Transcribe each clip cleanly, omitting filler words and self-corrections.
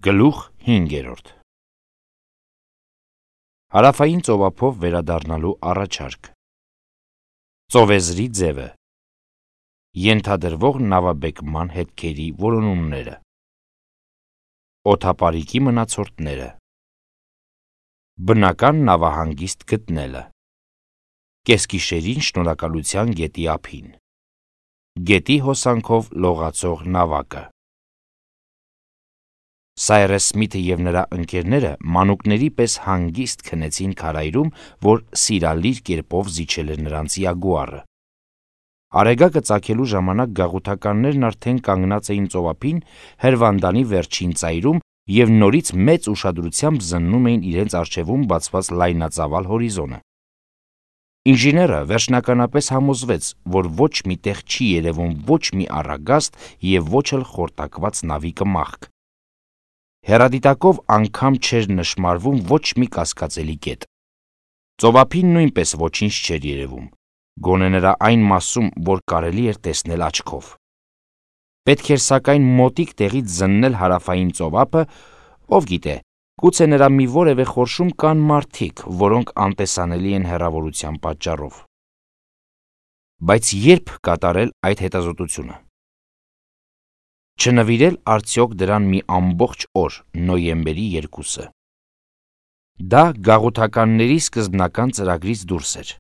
Գլուխ 5. Հարավային ծովափով վերադառնալու առաջարկ։ Ծովեզրի ձևը։ Ենթադրվող նավաբեկման հետքերի որոնումները։ Օդապարիկի մնացորդները։ Բնական նավահանգիստ գտնելը։ Կեսգիշերին Շնորհակալության գետի ափին։ Գետի հոսանքով լողացող նավակը։ Սայրես Սմիթը և նրա ընկերները մանուկների պես հանգիստ քնեցին քարայրում, որ սիրալիր կերպով զիջել էր նրանց յագուարը։ Արեգակը ծագելու ժամանակ գաղութականներն արդեն կանգնած էին ծովափին հրվանդանի վերջին ծայրում և նորից մեծ ուշադրությամբ զննում էին իրենց առջևում բացված լայնածավալ հորիզոնը։ Ինժեները վերջնականապես համոզվեց, որ ոչ մի տեղ չի երևում ոչ մի առագաստ և ոչ էլ խորտակված նավի կմախք։ Հեռադիտակով անգամ չէր նշմարվում ոչ մի կասկածելի կետ։ Ծովափին նույնպես ոչինչ չէր երևում, գոնե նրա այն մասում, որ կարելի էր տեսնել աչքով։ Պետք էր սակայն մոտիկ տեղից զննել հարավային ծովափը, ով գիտե, գուցե նրա մի որևէ խորշում կան մարդիկ, որոնք անտեսանելի են հեռավորության պատճառով։ Բայց երբ կատարել այդ հետազոտությունը։ Չնվիրել արդյոք դրան մի ամբողջ օր, նոյեմբերի 2-ը։ Դա գաղութականների սկզբնական ծրագրից դուրս էր։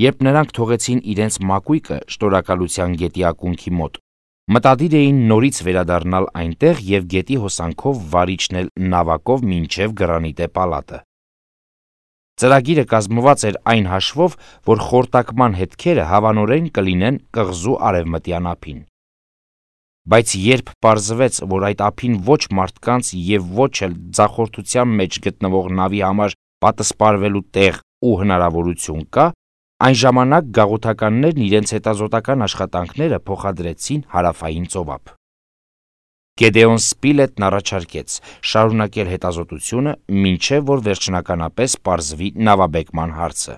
Երբ նրանք թողեցին իրենց մակույկը Շնորհակալության գետի ակունքի մոտ, մտադիր էին նորից վերադառնալ այնտեղ և գետի հոսանքով վար իջնել նավակով մինչև Գրանիտե պալատը։ Ծրագիրը կազմված էր այն հաշվով, որ խորտակման հետքերը հավանորեն կլինեն կղզու արևմտյան ափին։ Բայց երբ պարզվեց, որ այդ ափին ոչ մարդկանց և ոչ էլ ձախորդության մեջ գտնվող նավի համար պատսպարվելու տեղ ու հնարավորություն կա, այն ժամանակ գաղութականներն իրենց հետազոտական աշխատանքները փոխադրեցին հարավային ծովափ։ Գեդեոն Սպիլետն առաջարկեց շարունակել հետազոտությունը, մինչև որ վերջնականապես պարզվի նավաբեկման հարցը։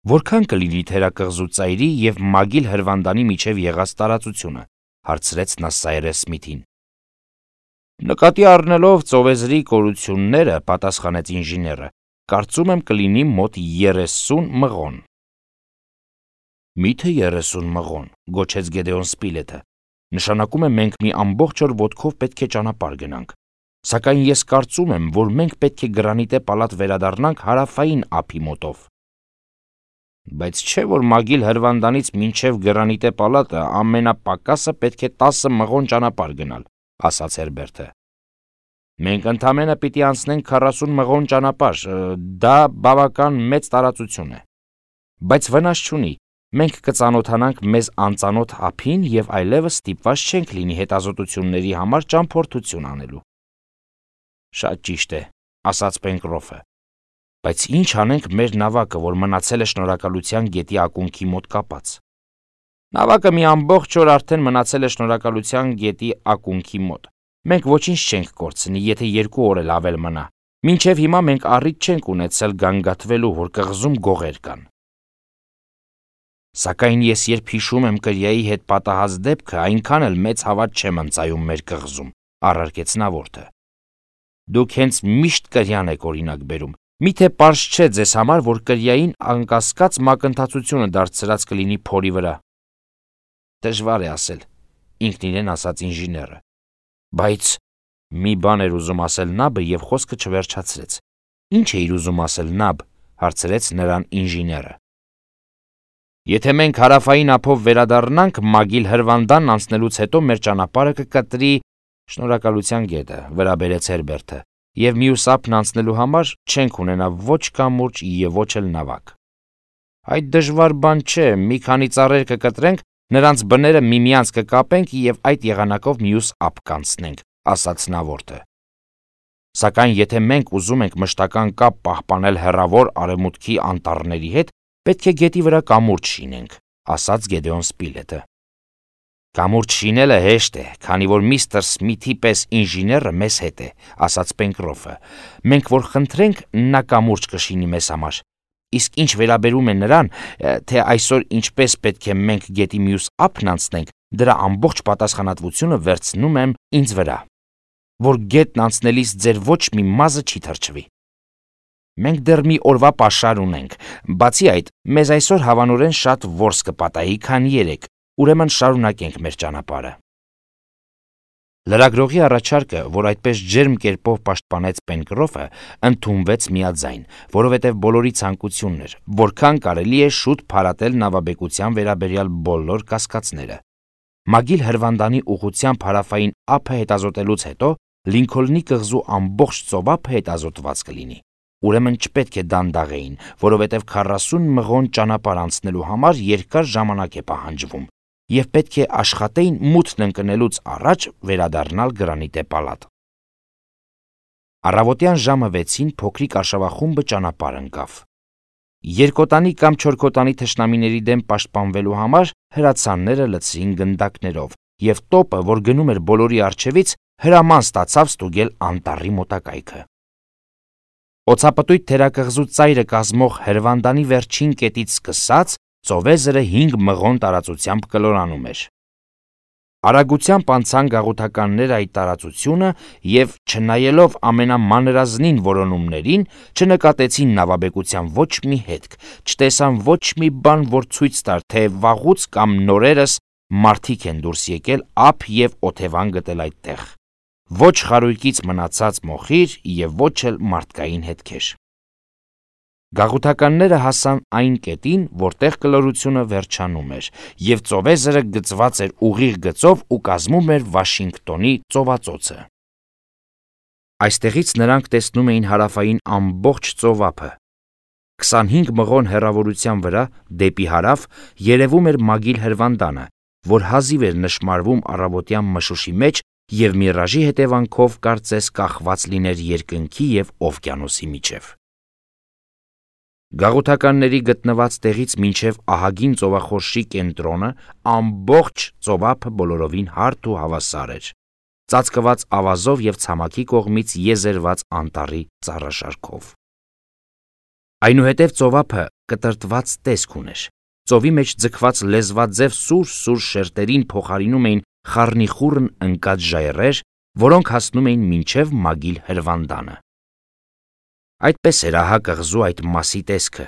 Որքան կլինի թերակղզու ծայրի և Մագիլ հրվանդանի միջև եղած տարածությունը, հարցրեց նա Սայրես Սմիթին։ Նկատի առնելով ծովեզրի կորությունները, պատասխանեց ինժեները, կարծում եմ կլինի մոտ 30 մղոն։ Միթե 30 մղոն, գոչեց Գեդեոն Սպիլետը, նշանակում է մենք մի ամբողջ օր ոտքով պետք է ճանապարհ գնանք, սակայն ես կարծում եմ, որ մենք պետք է Գրանիտե պալատ վերադառնանք հարավային ափի մոտով։ Բայց չէ՞ որ Մագիլ հրվանդանից մինչև Գրանիտե պալատը ամենապակասը պետք է 10 մղոն ճանապարհ գնալ, ասաց Հերբերտը։ Մենք ընդամենը պիտի անցնենք 40 մղոն ճանապարհ, դա բավական մեծ տարածություն է։ Բայց վնաս չունի, մենք կծանոթանանք մեզ անծանոթ ափին և այլևս ստիպված չենք լինի հետազոտությունների համար ճամփորդություն անելու։ Շատ ճիշտ է, ասաց Պենկրոֆը։ Բայց ինչ անենք մեր նավակը, որ մնացել է Շնորհակալության գետի ակունքի մոտ կապած։ Նավակը մի ամբողջ օր արդեն մնացել է Շնորհակալության գետի ակունքի մոտ։ Մենք ոչինչ չենք կորցնի, եթե 2 օր էլ ավել մնա։ Մինչև հիմա մենք առիթ չենք ունեցել գանգատվելու, որ կղզում գողեր կան։ Սակայն ես երբ հիշում եմ կրիայի հետ պատահած դեպքը, այնքան էլ մեծ հավատ չեմ ընծայում մեր կղզում, առարկեց նավորդը։ Դուք հենց միշտ կրյան եք օրինակ բերում։ Միթե պարզ չէ ձեզ համար, որ կրիային անկասկած մակընթացությունը դարձրած կլինի փորի վրա։ Դժվար է ասել, ինքն իրեն ասաց ինժեները։ Բայց մի բան էր ուզում ասել նաբը և խոսքը չվերջացրեց։ Ինչ էիր ուզում ասել նաբ, հարցրեց նրան ինժեները։ Եթե մենք հարավային ափով վերադառնանք, Մագիլ հրվանդանն անցնելուց հետո մեր ճանապարհը կկտրի Շնորհակալության գետը, վրա բերեց Հերբերտը, և մյուս ափն անցնելու համար չենք ունենա ոչ կամուրջ և ոչ էլ նավակ։ Այդ դժվար բան չէ, մի քանի ծառեր կկտրենք, նրանց բները միմյանց կկապենք և այդ եղանակով մյուս ափ կանցնենք, ասաց նավորդը։ Սակայն եթե մենք ուզում ենք մշտական կապ պահպանել հեռավոր արևմուտքի անտառների հետ, պետք է գետի վրա կամուրջ շինենք, ասաց Գեդեոն Սպիլետը։ Կամուրջ շինելը հեշտ է, քանի որ միստր Սմիթի պես ինժեները մեզ հետ է, ասաց Պենկրոֆը։ Մենք որ խնդրենք, նա կամուրջ կշինի մեզ համար։ Իսկ ինչ վերաբերում է նրան, թե այսօր ինչպես պետք է մենք գետի մյուս ափն անցնենք, դրա ամբողջ պատասխանատվությունը վերցնում եմ ինձ վրա։ որ գետն անցնելիս ձեր ոչ մի մազը չի թրջվի։ Մենք դեռ մի օրվա պաշար ունենք, բացի այդ, մեզ այսօր հավանորեն շատ որս կպատահի, քան երեկ, ուրեմն շարունակենք մեր ճանապարհը։ Լրագրողի առաջարկը, որ այդպես ջերմ կերպով պաշտպանեց Պենկրոֆը, ընդունվեց միաձայն, որովհետև բոլորի ցանկությունն էր, որքան կարելի է շուտ փարատել նավաբեկության վերաբերյալ բոլոր կասկածները։ Մագիլ Հրվանդանի ուղղությամբ հարավային ափը հետազոտելուց հետո Լինքոլնի կղզու ամբողջ ծովափը հետազոտված կլինի։ Ուրեմն չպետք է դանդաղեին, որովհետև 40 մղոն ճանապարհ անցնելու համար երկար ժամանակ է պահանջվում, և պետք է աշխատեին մութն ընկնելուց առաջ վերադառնալ Գրանիտե պալատ։ Առավոտյան ժամը 6-ին փոքրիկ արշավախումբը ճանապարհ ընկավ։ Երկոտանի կամ չորքոտանի թշնամիների դեմ պաշտպանվելու համար հրացանները լցրին գնդակներով, և տոպը, որ գնում էր բոլորի առջևից, հրաման ստացավ ստուգել անտառի մոտակայքը։ Օձապտույտ թերակղզու ծայրը կազմող Հրվանդանի վերջին կետից սկսած ծովեզրը 5 մղոն տարածությամբ կլորանում էր։ Արագությամբ անցան գաղութականները այդ տարածությունը և, չնայելով ամենամանրազնին որոնումներին, չնկատեցին նավաբեկության ոչ մի հետք, չտեսան ոչ մի բան, որ ցույց տար, թե վաղուց կամ նորերս մարդիկ են դուրս եկել ափ և օթևան գտել այդտեղ։ Ոչ խարույկից մնացած մոխիր և ոչ էլ մարդկային հետքեր։ Գաղութականները հասան այն կետին, որտեղ կլորությունը վերջանում էր, և ծովեզրը գծված էր ուղիղ գծով ու կազմում էր Վաշինգտոնի ծովածոցը։ Այստեղից նրանք տեսնում էին հարավային ամբողջ ծովափը։ 25 մղոն հեռավորության վրա, դեպի հարավ, երևում էր Մագիլ Հրվանդանը, որ հազիվ էր նշմարվում առավոտյան մշուշի մեջ և միրաժի հետևանքով կարծես կախված լիներ երկնքի և օվկիանոսի միջև։ Գաղութականների գտնված տեղից մինչև ահագին ծովախորշի կենտրոնը ամբողջ ծովափը բոլորովին հարթ ու հավասար էր, ծածկված ավազով և ցամաքի կողմից եզերված անտառի ծառաշարքով։ Այնուհետև ծովափը կտրտված տեսք ուներ։ Ծովի մեջ ձգված լեզվաձև սուր շերտերին փոխարինում էին խառնիխուռն ընկած ժայռեր, որոնք հասնում էին մինչև Մագիլ Հրվանդանը։ Այդպես էր ահա կղզու այդ մասի տեսքը։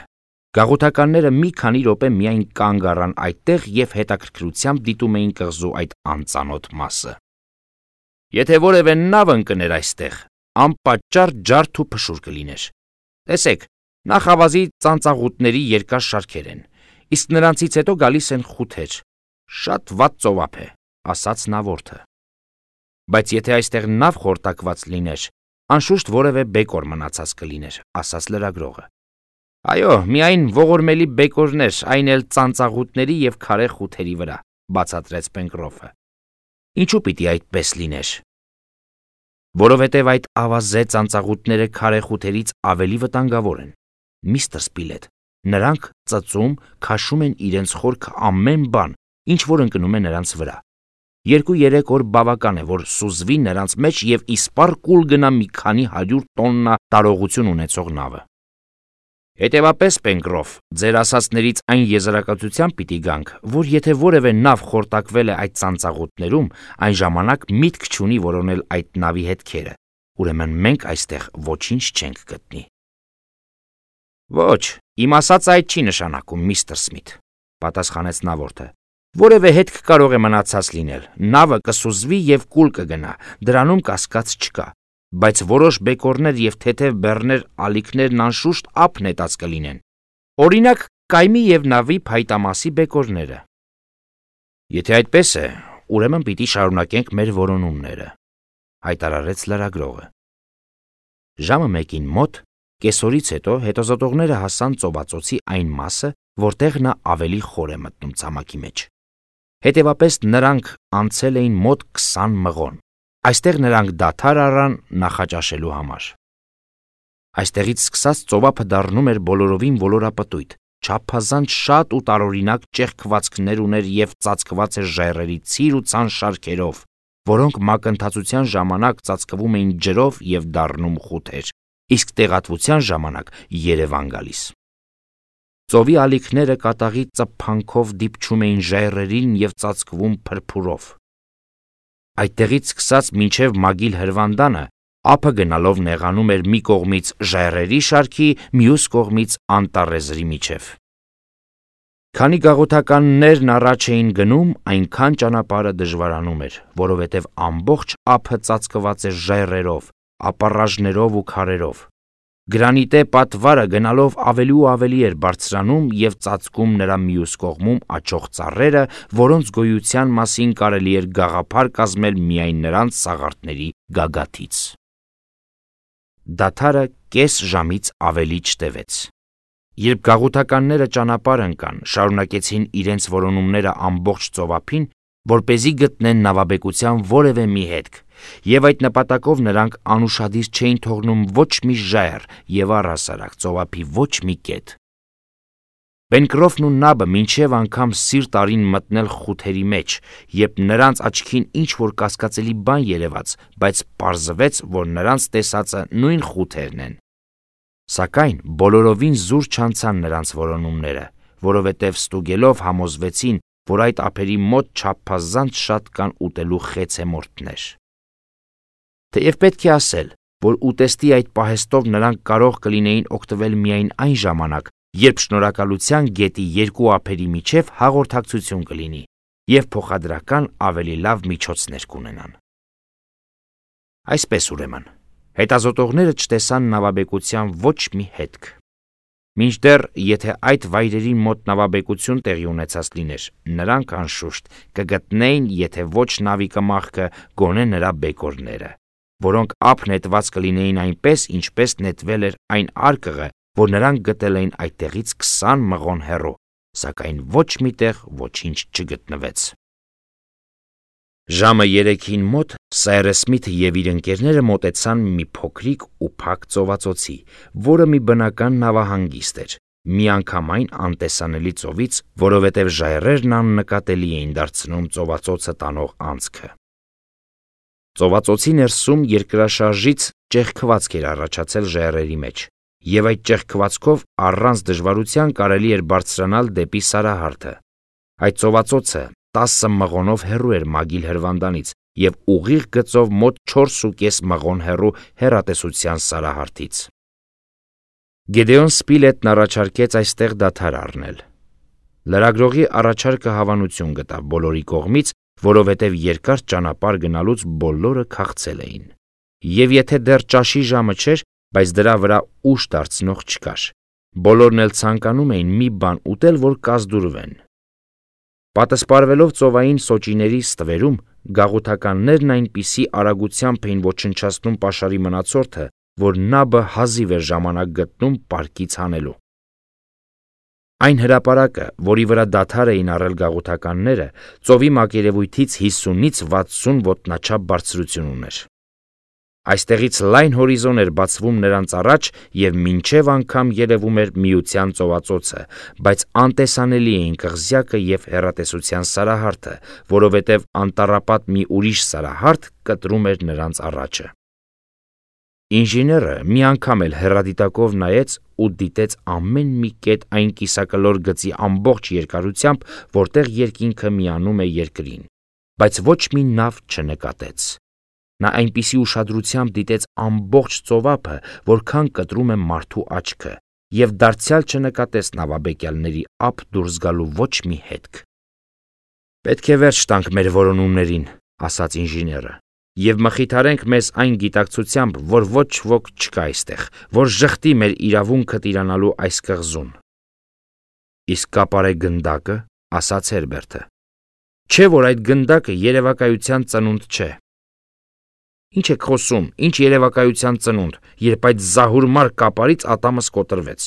Գաղութականները մի քանի րոպե միայն կանգ առան այդտեղ և հետաքրքրությամբ դիտում էին կղզու այդ անծանոթ մասը։ Եթե որևէ նավ ընկներ այստեղ, անպատճառ ջարդ ու փշուր կլիներ։ Տեսեք, նախավազի ծանծաղուտների երկար շարքեր են, իսկ նրանցից հետո գալիս են խութեր։ Շատ վատ ծովափ է, ասաց նավորդը։ Բայց եթե այստեղ նավ խորտակված լիներ, անշուշտ որևէ բեկոր մնացած կլիներ, ասաց լրագրողը։ Այո, միայն ողորմելի բեկորներ, այն էլ ծանծաղուտների և քարե խութերի վրա, բացատրեց Պենկրոֆը։ Ինչու պիտի այդպես լիներ։ Որովհետև այդ ավազե ծանծաղուտները քարե խութերից ավելի վտանգավոր են, միստր Սպիլետ, նրանք ծծում, քաշում են իրենց խորքը ամեն բան, ինչ որ ընկնում է նրանց վրա։ 2-3 օր բավական է, որ սուզվի նրանց մեջ և իսպառ կուլ գնա մի քանի 100 տոննա տարողություն ունեցող նավը։ Հետևապես, Պենկրոֆ, ձեր ասածներից այն եզրակացության պիտի գանք, որ եթե որևէ նավ խորտակվել է այդ ծանծաղուտներում, այն ժամանակ միտք չունի որոնել այդ նավի հետքերը, ուրեմն մենք այստեղ ոչինչ չենք գտնի։ Ոչ, իմ ասածը այդ չի նշանակում, միստր Սմիթ, պատասխանեց նավորդը։ Որևէ հետք կարող է մնացած լինել, նավը կսուզվի և կուլ կգնա, դրանում կասկած չկա, բայց որոշ բեկորներ և թեթև բեռներ ալիքներն անշուշտ ափ նետած կլինեն, օրինակ կայմի և նավի փայտամասի բեկորները։ Եթե այդպես է, ուրեմն պիտի շարունակենք մեր որոնումները, հայտարարեց լրագրողը։ Ժամը 1-ին մոտ, կեսօրից հետո հետազոտողները հասան ծովածոցի այն մասը, որտեղ նա ավելի խոր է մտնում ցամաքի մեջ։ Հետևապես նրանք անցել էին մոտ 20 մղոն։ Այստեղ նրանք դադար առան նախաճաշելու համար։ Այստեղից սկսած ծովափը դառնում էր բոլորովին ոլորապտույտ, չափազանց շատ ու տարօրինակ ճեղքվածքներ ուներ և ծածկված էր ժայռերի ցիր ու ցան շարքերով, որոնք մակընթացության ժամանակ ծածկվում էին ջրով և դառնում խութեր, իսկ տեղատվության ժամանակ երևան գալիս։ Ծովի ալիքները կատաղի ծփանքով դիպչում էին ժայռերին և ծածկվում փրփուրով։ Այդտեղից սկսած մինչև Մագիլ հրվանդանը ափը գնալով նեղանում էր մի կողմից ժայռերի շարքի, մյուս կողմից անտառեզրի միջև։ Քանի գաղութականներն առաջ էին գնում, այնքան ճանապարհը դժվարանում էր, որովհետև ամբողջ ափը ծածկված էր ժայռերով, ապառաժներով ու քարերով։ Գրանիտե պատվարը գնալով ավելի ու ավելի էր բարձրանում և ծածկում նրա մյուս կողմում աճող ծառերը, որոնց գոյության մասին կարելի էր գաղափար կազմել միայն նրանց սաղարթների գագաթից։ Դադարը կես ժամից ավելի չտևեց։ Երբ գաղութականները ճանապարհ ընկան, շարունակեցին իրենց որոնումները ամբողջ ծովափին, որպեսզի գտնեն նավաբեկության որևէ մի հետք, և այդ նպատակով նրանք անուշադիր չէին թողնում ոչ մի ժայռ և առհասարակ ծովափի ոչ մի կետ։ Պենկրոֆն ու Նաբը մինչև անգամ սիրտ արին մտնել խութերի մեջ, երբ նրանց աչքին ինչ-որ կասկածելի բան երևաց, բայց պարզվեց, որ նրանց տեսածը նույն խութերն են։ Սակայն բոլորովին զուր չանցան նրանց որոնումները, որովհետև ստուգելով համոզվեցին, որ այդ ափերի մոտ չափազանց շատ կան ուտելու խեցեմորտներ։ Թեև պետք է ասել, որ ուտեստի այդ պահեստով նրանք կարող կլինեին օգտվել միայն այն ժամանակ, երբ շնորհակալության գետի երկու ափերի միջև հաղորդակցություն կլինի և փոխադրական ավելի լավ միջոցներ կունենան։ Այսպես ուրեմն, հետազոտողները չտեսան նավաբեկության ոչ մի հետք։ Մինչդեռ, եթե այդ վայրերի մոտ նավաբեկություն տեղի ունեցած լիներ, նրանք անշուշտ կգտնեին, եթե ոչ նավի կմախքը, գոնե նրա բեկորները, որոնք ափ նետված կլինեին այնպես, ինչպես նետվել էր այն արկղը, որ նրանք գտել էին այդտեղից 20 մղոն հեռու, սակայն ոչ մի տեղ ոչինչ չգտնվեց։ Ժամը 3-ին մոտ Սայրս Սմիթը և իր ընկերները մոտեցան մի փոքրիկ ու փակ ծովածոցի, որը մի բնական նավահանգիստ էր, միանգամայն անտեսանելի ծովից, որովհետև ժայռերն աննկատելի էին դարձնում ծովածոցը տանող անցքը։ Ծովածոցի ներսում երկրաշարժից ճեղքվածք էր առաջացել ժայռերի մեջ, և այդ ճեղքվածքով առանց դժվարության կարելի էր բարձրանալ դեպի Սարահարթը։ Այդ ծովածոցը 10 մղոնով հեռու էր Մագիլ հրվանդանից և ուղիղ գծով մոտ 4,5 մղոն հեռու հեռատեսության Սարահարթից։ Գեդեոն Սպիլետն առաջարկեց այստեղ դադար առնել։ Լրագրողի առաջարկը հավանություն գտավ բոլորի կողմից, որովհետև երկար ճանապարհ գնալուց բոլորը քաղցել էին։ Եվ եթե դեռ ճաշի ժամը չէր, բայց դրա վրա ուշ դարձնող չկար։ Բոլորն էլ ցանկանում էին մի բան ուտել, որ կազդուրվեն։ Պատսպարվելով ծովային սոճիների ստվերում, գաղութականներն այնպիսի արագությամբ էին ոչնչացնում պաշարի մնացորդը, որ Նաբը հազիվ էր ժամանակ գտնում պարկից հանելու։ Այն հրապարակը, որի վրա դադար էին առել գաղութականները, ծովի մակերևույթից 50-ից 60 ոտնաչափ բարձրություն ուներ։ Այստեղից լայն հորիզոն էր բացվում նրանց առաջ և մինչև անգամ երևում էր Միության ծովածոցը, բայց անտեսանելի էին կղզյակը և հեռատեսության Սարահարթը, որովհետև անտառապատ մի ուրիշ Սարահարթ կտրում էր նրանց առաջը։ Ինժեները մի անգամ էլ հեռադիտակով նայեց ու դիտեց ամեն մի կետ այն կիսակլոր գծի ամբողջ երկարությամբ, որտեղ երկինքը միանում է երկրին, բայց ոչ մի նավ չնկատեց։ Նա այնպիսի ուշադրությամբ դիտեց ամբողջ ծովափը, որքան կտրում է մարդու աչքը, և դարձյալ չնկատեց նավաբեկյալների ափ դուրս գալու ոչ մի հետք։ «Պետք է վերջ տանք մեր որոնումներին», ասաց ինժեները, «և մխիթարենք մեզ այն գիտակցությամբ, որ ոչ ոք չկա այստեղ, որ ժխտի մեր իրավունքը տիրանալու այս կղզում»։ «Իսկ կապարե գնդակը», ասաց Հերբերտը, «չէ՞ որ այդ գնդակը երևակայության ծնունդ չէ»։ «Ինչ եք խոսում, ինչ երևակայության ծնունդ, երբ այդ զահուրմար կապարից ատամս կոտրվեց»։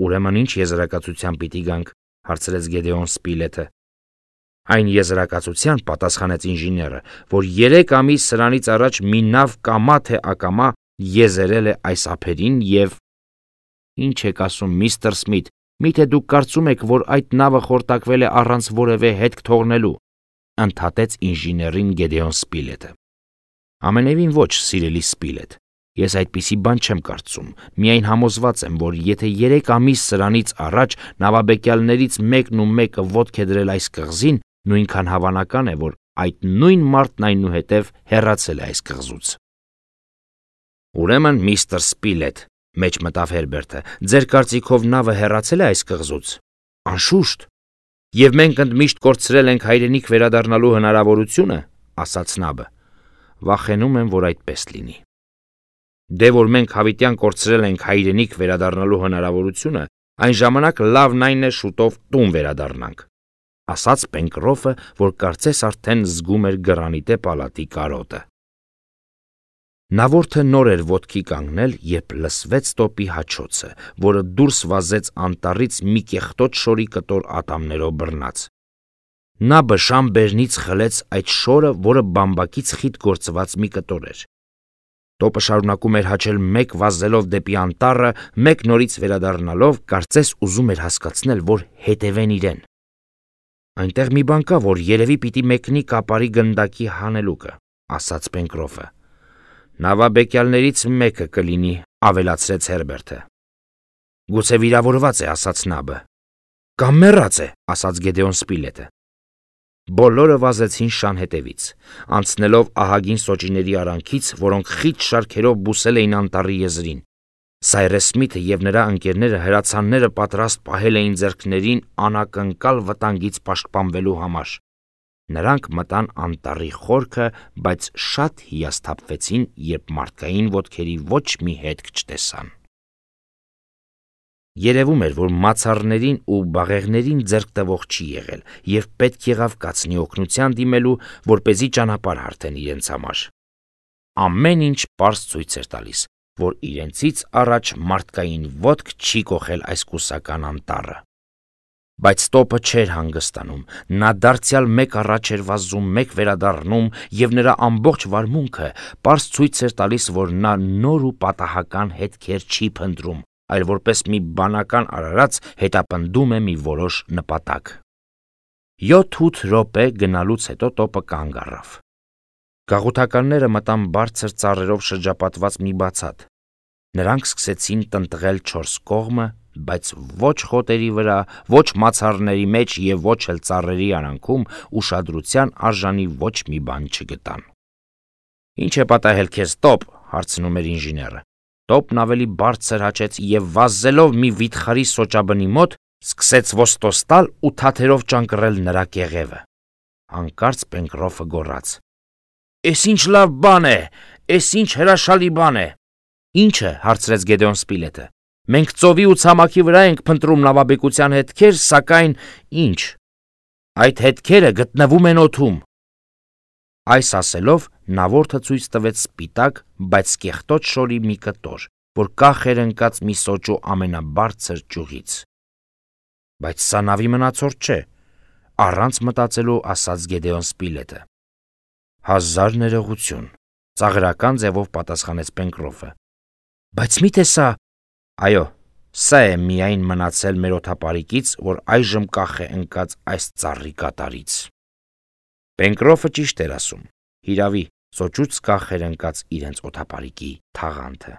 «Ուրեմն ինչ եզրակացության պիտի գանք», հարցրեց Գեդեոն Սպիլետը։ «Այն եզրակացության», պատասխանեց ինժեները, «որ 3 ամիս սրանից առաջ մի նավ կամա թե ակամա եզերել է այս ափերին և…» «Ինչ եք ասում, միստր Սմիթ, միթե դուք կարծում եք, որ այդ նավը խորտակվել է առանց որևէ հետք թողնելու», ընդհատեց ինժեներին Գեդեոն Սպիլետը։ «Ամենևին ոչ, սիրելի Սպիլետ, ես այդպիսի բան չեմ կարծում, միայն համոզված եմ, որ եթե 3 ամիս սրանից առաջ նավաբեկյալներից մեկն ու մեկը ոտք է դրել այս կղզին, նույնքան հավանական է, որ այդ նույն մարդն այնուհետև հեռացել է այս կղզուց։ Ուրեմն, միստր Սպիլետ, մեջ մտավ Հերբերտը, ձեր կարծիքով նավը հեռացել է այս կղզուց։ Անշուշտ, եւ մենք ընդմիշտ կորցրել ենք հայրենիք վերադառնալու հնարավորությունը, ասաց Նաբը։ Վախենում եմ, որ այդպես լինի։ Դե որ մենք հավիտյան կորցրել ենք հայրենիք վերադառնալու հնարավորությունը, այն ժամանակ լավն այն է շուտով տուն վերադառնանք, ասաց Պենկրոֆը, որ կարծես արդեն զգում էր գրանիտե պալատի կարոտը։ Նավորդը նոր էր ոտքի կանգնել, երբ լսվեց տոպի հաչոցը, որը դուրս վազեց անտառից մի կեղտոտ շորի կտոր ատամներով բռնած։ Նաբը շամբերնից խլեց այդ շորը, որը բամբակից խիտ գործված մի կտոր էր։ Տոպը շարունակում էր հաչել մեկ վազելով դեպի անտառը, մեկ նորից վերադառնալով, կարծես ուզում էր հասկացնել, որ հետևեն իրեն։ Այնտեղ մի բան կա, որ երևի պիտի մեկնի կապարի գնդակի հանելուկը, ասաց Պենկրոֆը։ Նավաբեկյալներից մեկը կլինի, ավելացրեց Հերբերտը։ Գուցե վիրավորված է, ասաց Նաբը։ Կամ մեռած է, ասաց Գեդեոն Սպիլետը։ Բոլորը վազեցին շան հետևից, անցնելով ահագին սոճիների արանքից, որոնք խիտ շարքերով բուսել էին անտառի եզրին։ Սայրես Սմիթը եւ նրա ընկերները հրացանները պատրաստ պահել էին ձեռքներին անակնկալ վտանգից պաշտպանվելու համար։ Նրանք մտան անտառի խորքը, բայց շատ հիասթափվեցին, երբ մարդկային ոտքերի ոչ մի հետք չտեսան։ Երևում էր, որ մացառներին ու բաղեղներին ձեռք տվող չի եղել, եւ պետք եղավ կացնի օգնության դիմելու, որպեսզի ճանապարհ հարթեն իրենց համար։ Ամեն ինչ պարզ ցույց էր տալիս, որ իրենցից առաջ մարդկային ոտք չի կոխել այս կուսական անտառը։ Բայց տոպը չէր հանգստանում, նա դարձյալ մեկ առաջ էր վազում, մեկ վերադառնում, եւ նրա ամբողջ վարմունքը պարզ ցույց էր տալիս, որ նա նոր ու պատահական հետքեր չի փնտրում, այլ որպես մի բանական արարած հետապնդում է մի որոշ նպատակ։ 7-8 րոպե գնալուց հետո տոպը կանգ առավ։ Գաղութականները մտան բարձր ծառերով շրջապատված մի բացատ։ Նրանք սկսեցին տնտղել 4 կողմը, բայց ոչ խոտերի վրա, ոչ մացառների մեջ եւ ոչ էլ ծառերի արանքում ուշադրության արժանի ոչ մի բան չգտան։ Ինչ է պատահել քեզ, տոպ, հարցնում էր ինժեները։ Տոպն ավելի բարձր հաչեց եւ վազելով մի վիթխարի սոճաբնի մոտ, սկսեց ոստոս տալ ու թաթերով ճանկռել նրա կեղևը։ Հանկարծ Պենկրոֆը գոռաց. «Էս ինչ լավ բան է, էս ինչ հրաշալի բան է»։ Ի՞նչը, հարցրեց Գեդեոն Սպիլետը։ Մենք ծովի ու ցամաքի վրա ենք փնտրում նավաբեկության հետքեր, սակայն ինչ։ Այդ հետքերը գտնվում են օդում։ Այս ասելով նավորդը ցույց տվեց սպիտակ, բայց կեղտոտ շորի մի կտոր, որ կախ էր ընկած մի սոճու ամենաբարձր ճյուղից։ Բայց սա նավի մնացորդ չէ, առանց մտածելու ասաց Գեդեոն Սպիլետը։ 1000 ներողություն, ծաղրական ձևով պատասխանեց Պենկրոֆը։ Բայց միթե սա… Այո, սա է միայն մնացել մեր օդապարիկից, որ այժմ կախ է ընկած այս ծառի կատարից։ Պենկրոֆը ճիշտ էր ասում, հիրավի, սոճուց կախ էր ընկած իրենց օդապարիկի թաղանթը։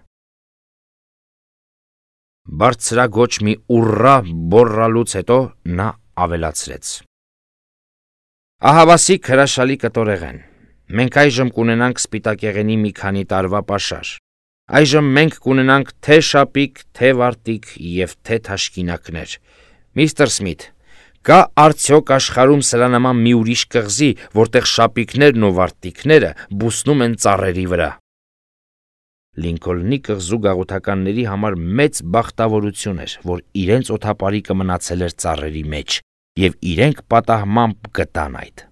Բարձրագոչ մի ուռա բոռալուց հետո նա ավելացրեց. Ահավասիկ հրաշալի կտորեղեն, մենք այժմ կունենանք սպիտակեղենի մի քանի տարվա պաշար, այժմ մենք կունենանք թե շապիկ, թե վարտիք և թե թաշկինակներ։ Միստր Սմիթ, կա արդյոք աշխարհում սրա նման մի ուրիշ կղզի, որտեղ շապիկներն ու վարտիքները բուսնում են ծառերի վրա։ Լինքոլնի կղզու գաղութականների համար մեծ բախտավորություն էր, որ իրենց օդապարիկը մնացել էր ծառերի մեջ, և իրենք պատահմամբ գտան այդ։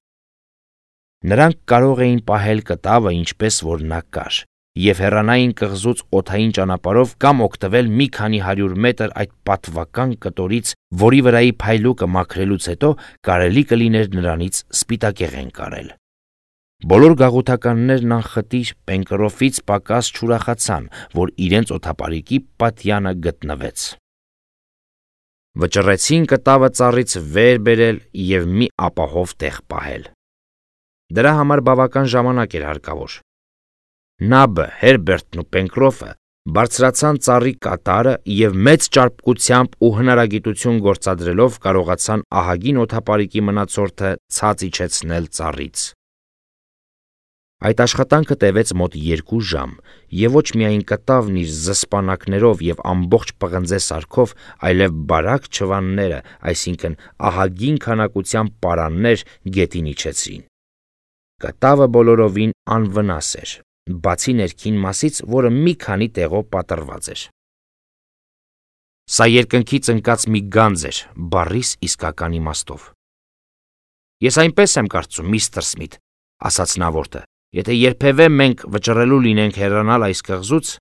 Նրանք կարող էին պահել կտավը ինչպես որ նա կար, և հեռանային կղզուց օդային ճանապարհով կամ օգտվել մի քանի 100 մետր այդ պատվական կտորից, որի վրայի փայլուկը մաքրելուց հետո կարելի կլիներ նրանից սպիտակեղեն կարել։ Բոլոր գաղութականներն անխտիր Պենկրոֆից պակաս չուրախացան, որ իրենց օդապարիկի պատյանը գտնվեց։ Վճռեցին կտավը ծառից վեր բերել և մի ապահով տեղ պահել։ Դրա համար բավական ժամանակ էր հարկավոր։ Նաբը, Հերբերտն ու Պենկրոֆը բարձրացան ծառի կատարը և մեծ ճարպկությամբ ու հնարագիտություն գործադրելով կարողացան ահագին օդապարիկի մնացորդը ցած իջեցնել ծառից։ Այդ աշխատանքը տևեց մոտ 2 ժամ, եւ ոչ միայն կտավն իր զսպանակներով եւ ամբողջ պղնձե սարքով, այլև բարակ չվանները, այսինքն ահագին քանակությամբ պարաններ գետին իջեցրին։ Կտավը բոլորովին անվնաս էր, բացի ներքին մասից, որը մի քանի տեղով պատռված էր։ Սա երկնքից ընկած մի գանձ էր, բառիս իսկական իմաստով։ Ես այնպես եմ կարծում, միստր Սմիթ, ասաց նավորդը, եթե երբևէ մենք վճռելու լինենք հեռանալ այս կղզուց,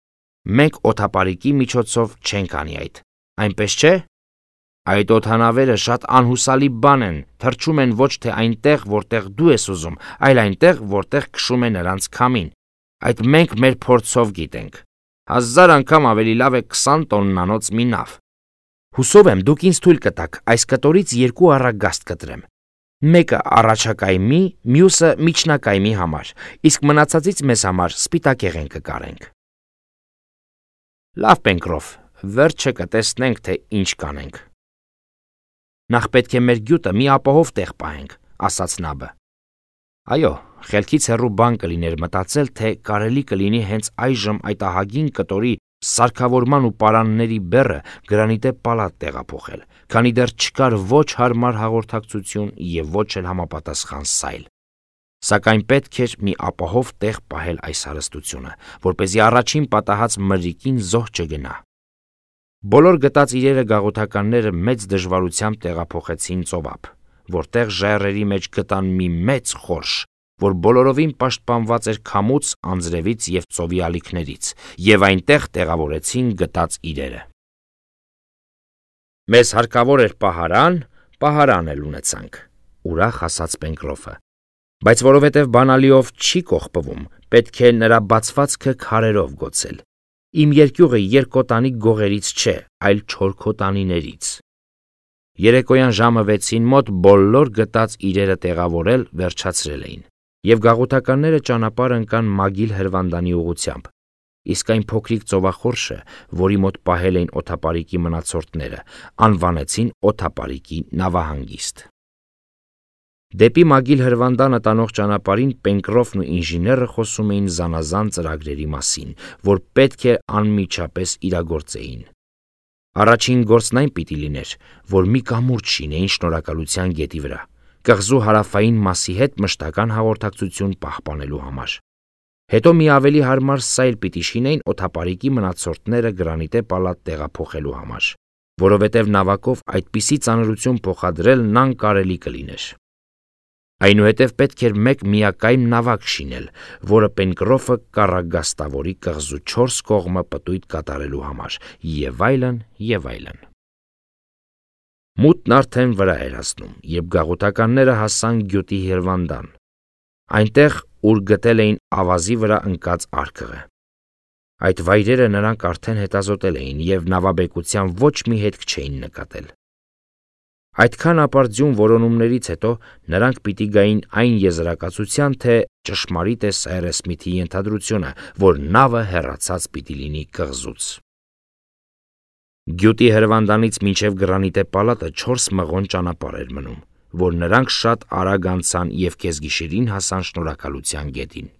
մենք օդապարիկի միջոցով չենք անի այդ, այնպես չէ։ Այդ օդանավերը շատ անհուսալի բան են, թռչում են ոչ թե այնտեղ, որտեղ դու ես ուզում, այլ այնտեղ, որտեղ քշում է նրանց քամին։ Այդ մենք մեր փորձով գիտենք։ 1000 անգամ ավելի լավ է 20 տոննանոց մի նավ։ Հուսով եմ, դուք ինձ թույլ կտաք այս կտորից 2 առագաստ կտրեմ։ Մեկը առաջակայմի, մյուսը միջնակայմի համար, իսկ մնացածից մեզ համար սպիտակեղեն կկարենք։ Լավ, Պենկրոֆ, վերջը կտեսնենք, թե ինչ կանենք։ Նախ պետք է մեր գյուտը մի ապահով տեղ պահենք, ասաց Նաբը։ Այո, խելքից հեռու բան կլիներ մտածել, թե կարելի կլինի հենց այժմ այդ ահագին կտորի սարքավորման ու պարանների բեռը գրանիտե պալատ տեղափոխել, քանի դեռ չկար ոչ հարմար հաղորդակցություն եւ ոչ էլ համապատասխան սայլ։ Սակայն պետք էր մի ապահով տեղ պահել այս հարստությունը, որպեսզի առաջին պատահած մրրիկին զոհ չգնա։ Բոլոր գտած իրերը գաղութականները մեծ դժվարությամբ տեղափոխեցին ծովափ, որտեղ ժայռերի մեջ գտան մի մեծ խորշ, որ բոլորովին պաշտպանված էր քամուց, անձրևից եւ ծովի ալիքներից, եւ այնտեղ տեղավորեցին գտած իրերը։ Մեզ հարկավոր էր պահարան էլ ունեցանք, ուրախ ասաց Պենկրոֆը, բայց որովհետեւ բանալիով չի կողպվում, պետք է նրա բացվածքը քարերով գոցել։ Իմ երկյուղը երկկոտանի գողերից չէ, այլ չորքոտանիներից։ Երեկոյան ժամը 6-ին մոտ բոլոր գտած իրերը տեղավորել վերջացրել էին, եւ գաղութականները ճանապարհ ընկան Մագիլ հրվանդանի ուղությամբ, իսկ այն փոքրիկ ծովախորշը, որի մոտ պահել էին օդապարիկի մնացորդները, անվանեցին օդապարիկի նավահանգիստ։ Դեպի Մագիլ հրվանդանը տանող ճանապարհին Պենկրոֆն ու ինժեները խոսում էին զանազան ծրագրերի մասին, որ պետք է անմիջապես իրագործեին։ Առաջին գործն այն պիտի լիներ, որ մի կամուրջ շինեին Շնորհակալության գետի վրա, կղզու հարավային մասի հետ մշտական հաղորդակցություն պահպանելու համար։ Հետո մի ավելի հարմար սայլ պիտի շինեին օդապարիկի մնացորդները գրանիտե պալատ տեղափոխելու համար, որովհետև նավակով այդպիսի ծանրություն փոխադրելն անկարելի կլիներ։ Այնուհետև պետք էր մեկ միակայմ նավակ շինել, որը Պենկրոֆը կառագաստավորի կղզու 4 կողմը պտույտ կատարելու համար, եւ այլն, եւ այլն։ Մութն արդեն վրա էր հասնում, երբ գաղութականները հասան գյուտի հրվանդան, այնտեղ, ուր գտել էին ավազի վրա ընկած արկղը։ Այդ վայրերը նրանք արդեն հետազոտել էին եւ նավաբեկության ոչ մի հետք չէին նկատել։ Այդքան ապարդյուն որոնումներից հետո նրանք պիտի գային այն եզրակացության, թե ճշմարիտ է Սայրես Սմիթի ենթադրությունը, որ նավը հեռացած պիտի լինի կղզուց։ Գյուտի հրվանդանից մինչև գրանիտե պալատը 4 մղոն ճանապարհ էր մնում, որ նրանք շատ արագ անցան եւ կեսգիշերին հասան Շնորհակալության գետին։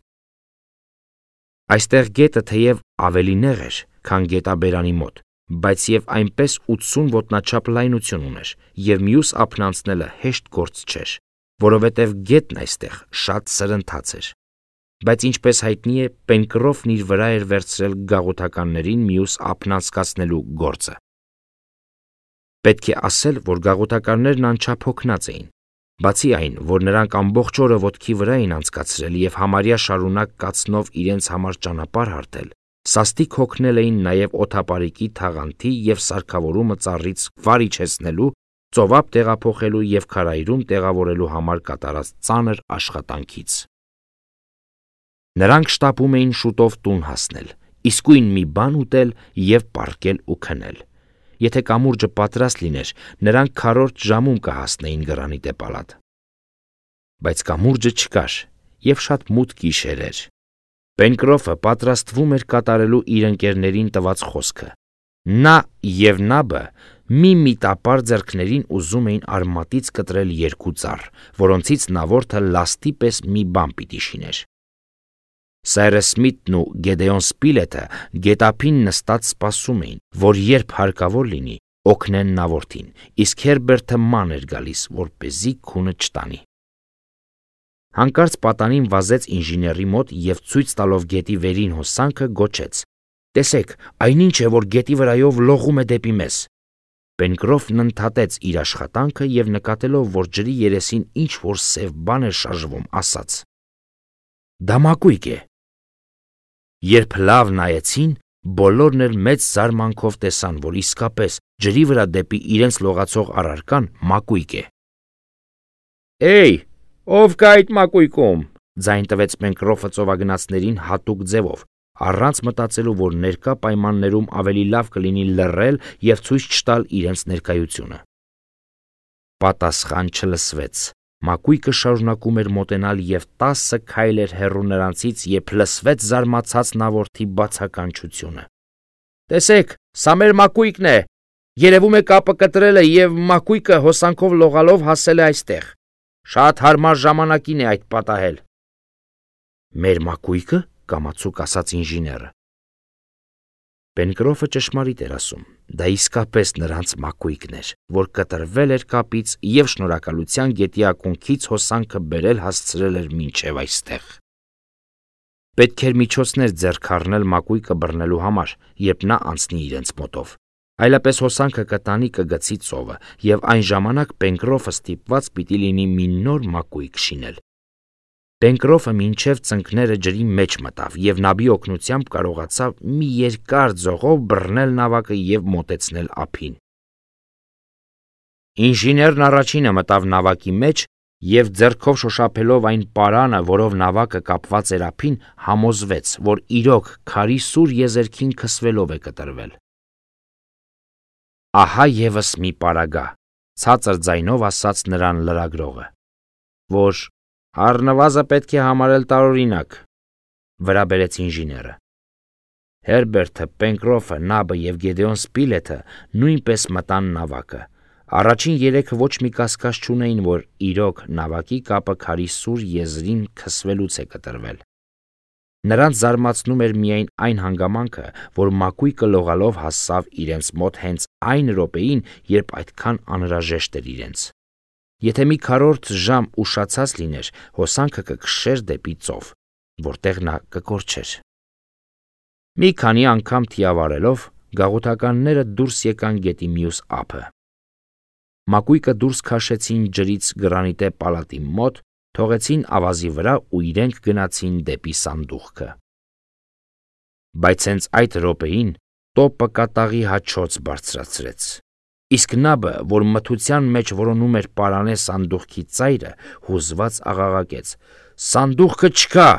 Այստեղ գետը թեև ավելի նեղ էր, քան գետաբերանի մոտ, բայց եւ այնպես 80 ոտնաչափ լայնություն ուներ, եւ մյուս ափն անցնելը հեշտ գործ չէր, որովհետեւ գետն այստեղ շատ սրընթաց էր։ Բայց ինչպես հայտնի է, Պենկրոֆն իր վրա էր վերցրել գաղութականներին մյուս ափն անցկացնելու գործը։ Պետք է ասել, որ գաղութականներն անչափ հոգնած էին, բացի այն, որ նրանք ամբողջ օրը ոտքի վրա էին անցկացրել եւ համարյա շարունակ կացնով իրենց համար ճանապարհ հարթել, սաստիկ հոգնել էին նաեւ օդապարիկի թաղանթի եւ սարքավորումը ծառից վար իջեցնելու, ծովափ տեղափոխելու եւ քարայրում տեղավորելու համար կատարած ծանր աշխատանքից։ Նրանք շտապում էին շուտով տուն հասնել, իսկույն մի բան ուտել եւ պառկել ու քնել։ Եթե կամուրջը պատրաստ լիներ, նրանք քառորդ ժամում կհասնեին գրանիտե պալատ։ Բայց կամուրջը չկար եւ շատ մութ գիշեր էր։ Պենկրոֆը պատրաստվում էր կատարելու իր ընկերներին տված խոսքը։ Նա եւ Նաբը մի միտապար ձեռքներին ուզում էին արմատից կտրել 2 ծառ, որոնցից նավորդը լաստի պես մի բան պիտի շիներ։ Սայրես Սմիթն ու Գեդեոն Սպիլետը գետափին նստած սպասում էին, որ երբ հարկավոր լինի, օգնեն նավորդին, իսկ Հերբերտը ման էր գալիս, որպեսզի քունը չտանի։ Հանկարծ պատանին վազեց ինժեների մոտ և ցույց տալով գետի վերին հոսանքը գոչեց. «Տեսեք, այնինչ է, որ գետի վրայով լողում է դեպի մեզ»։ Պենկրոֆն ընդհատեց իր աշխատանքը և նկատելով, որ ջրի երեսին ինչ-որ սև բան էր շարժվում, ասաց. «Դա մակույկ է»։ Երբ լավ նայեցին, բոլորն էլ մեծ զարմանքով տեսան, որ իսկապես ջրի վրա դեպի իրենց լողացող առարկան մակույկ է։ «Էյ, ով կա այդ մակույկում», ձայն տվեց Պենկրոֆը ծովագնացներին հատուկ ձևով, առանց մտածելու, որ ներկա պայմաններում ավելի լավ կլինի լռել և ցույց չտալ իրենց ներկայությունը։ Պատասխան չլսվեց։ Մակույկը շարունակում էր մոտենալ և 10 քայլ էր հեռու նրանցից, երբ լսվեց զարմացած նավորդի բացականչությունը. «Տեսեք, սա մեր մակույկն է։ Երևում է կապը կտրել է և մակույկը հոսանքով լողալով հասել է այստեղ։ Շատ հարմար ժամանակին է այդ պատահել»։ «Մեր մակույկը», կամացուկ ասաց ինժեները։ Պենկրոֆը ճշմարիտ էր ասում։ Դա իսկապես նրանց մակույկն էր, որ կտրվել էր կապից և շնորհակալության գետի ակունքից հոսանքը բերել հասցրել էր մինչև այստեղ։ Պետք էր միջոցներ ձեռք առնել մակույկը բռնելու համար, երբ նա անցնի իրենց մոտով։ Այլապես հոսանքը կտանի կգցի ծովը, և այն ժամանակ Պենկրոֆը ստիպված պիտի լինի մի նոր մակույկ շինել։ Պենկրոֆը մինչև ծնկները ջրի մեջ մտավ և նաբի օգնությամբ կարողացավ մի երկար ձողով բռնել նավակը և մոտեցնել ափին։ Ինժեներն առաջինը մտավ նավակի մեջ և ձեռքով շոշափելով այն պարանը, որով նավակը կապված էր ափին, համոզվեց, որ իրոք քարի սուր եզերքին քսվելով է կտրվել։ «Ահա ևս մի պարագա», ցածր ձայնով ասաց նրան լրագրողը, «որ առնվազն պետք է համարել տարօրինակ», վրա բերեց ինժեները։ Հերբերտը, Պենկրոֆը, Նաբը և Գեդեոն Սպիլետը նույնպես մտան նավակը։ Առաջին երեքը ոչ մի կասկած չունեին, որ իրոք նավակի կապը քարի սուր եզրին քսվելուց է կտրվել։ Նրանց զարմացնում էր միայն այն հանգամանքը, որ մակույկը լողալով հասավ իրենց մոտ հենց այն րոպեին, երբ այդքան անհրաժեշտ էր իրենց։ Եթե մի քառորդ ժամ ուշացած լիներ, հոսանքը կքշեր դեպի ծով, որտեղ նա կկորչեր։ Մի քանի անգամ թիավարելով, գաղութականները դուրս եկան գետի մյուս ափը։ Մակույկը դուրս քաշեցին ջրից գրանիտե պալատի մոտ, թողեցին ավազի վրա ու իրենք գնացին դեպի սանդուղքը։ Բայց հենց այդ րոպեին տոպը կատաղի հաչոց բարձրացրեց։ Իսկ Նաբը, որ մթության մեջ որոնում էր պարանե սանդուղքի ծայրը, հուզված աղաղակեց. «Սանդուղքը չկա»։